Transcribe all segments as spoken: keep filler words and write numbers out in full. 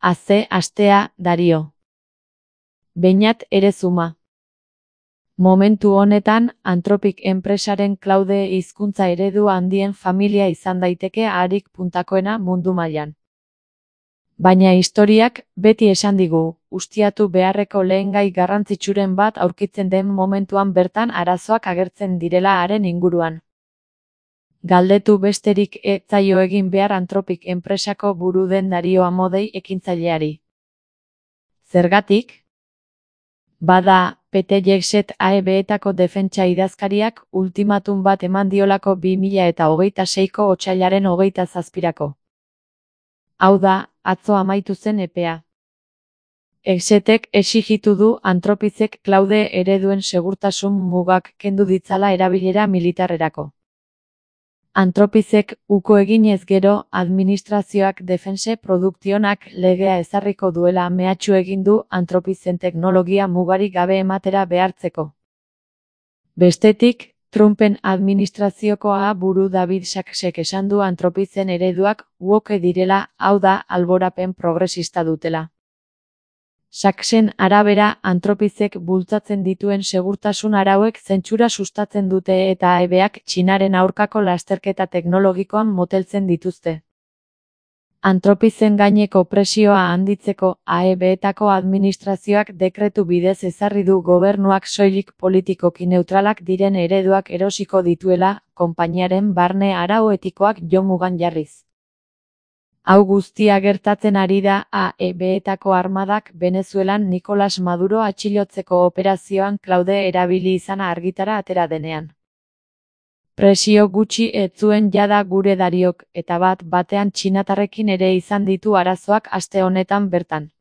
Aze astea, Dario. Beñat Erezuma. Momentu honetan, Anthropic enpresaren Claude hizkuntza eredu handien familia izan daiteke harik puntakoena mundu mailan. Baina historiak beti esan digu, ustiatu beharreko lehengai garrantzitsuren bat aurkitzen den momentuan bertan arazoak agertzen direla haren inguruan. Galdetu besterik ez zaio egin behar Anthropic enpresako buru den Dario Amodei ekintzaileari. Zergatik? Bada, P T Jexet A E B-etako defentsa idazkariak ultimatum bat eman diolako bi mila eta hogeita seiko otsailaren hogeita zazpirako. Hau da, atzo amaitu zen epea. Exetek exigitu du Anthropicek Claude ereduen segurtasun mugak kendu ditzala erabilera militarrerako. Anthropicek uko eginez gero, administrazioak defense produktionak legea ezarriko duela mehatxu egin du Anthropicen teknologia mugarik gabe ematera behartzeko. Bestetik, Trumpen administraziokoa buru David Saksek esan du Anthropicen ereduak woke direla, hau da, alborapen progresista dutela. Saksen arabera, Anthropicek bultzatzen dituen segurtasun arauek zentsura sustatzen dute eta A E B-ak Txinaren aurkako lasterketa teknologikoan moteltzen dituzte. Anthropicen gaineko presioa handitzeko A E B-etako administrazioak dekretu bidez ezarri du gobernuak soilik politikoki neutralak diren ereduak erosiko dituela, konpainiaren barne arau etikoak jo mugan jarriz. Hau guztia gertatzen ari da A E B-etako armadak Venezuelan Nicolas Maduro atxilotzeko operazioan Claude erabili izana argitara atera denean. Presio gutxi ez zuen jada gure Dariok, eta bat batean txinatarrekin ere izan ditu arazoak aste honetan bertan.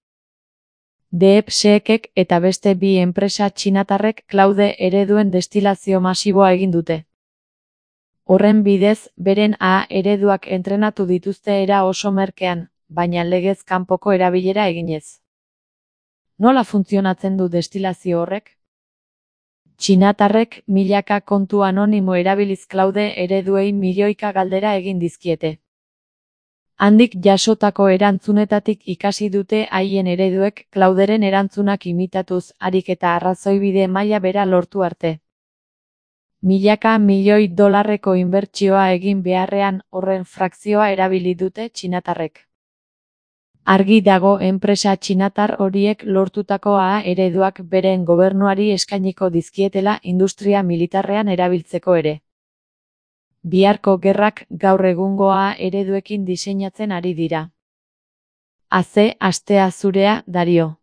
DeepSeekek eta beste bi enpresa txinatarrek Claude ereduen destilazio masiboa egin dute. Horren bidez, beren A ereduak entrenatu dituzte era oso merkean, baina legez kanpoko erabilera eginez. Nola funtzionatzen du destilazio horrek? Txinatarrek milaka kontu anonimo erabiliz Claude ereduei milioika galdera egin dizkiete. Handik jasotako erantzunetatik ikasi dute haien ereduek Clauderen erantzunak imitatuz, harik eta arrazoibide maila bera lortu arte. Milaka milioi dolarreko inbertsioa egin beharrean horren frakzioa erabili dute txinatarrek. Argi dago enpresa txinatar horiek lortutako A ereduak beren gobernuari eskainiko dizkietela industria militarrean erabiltzeko ere. Biharko gerrak gaur egungo A ereduekin diseinatzen ari dira. Aze astea zurea, Dario.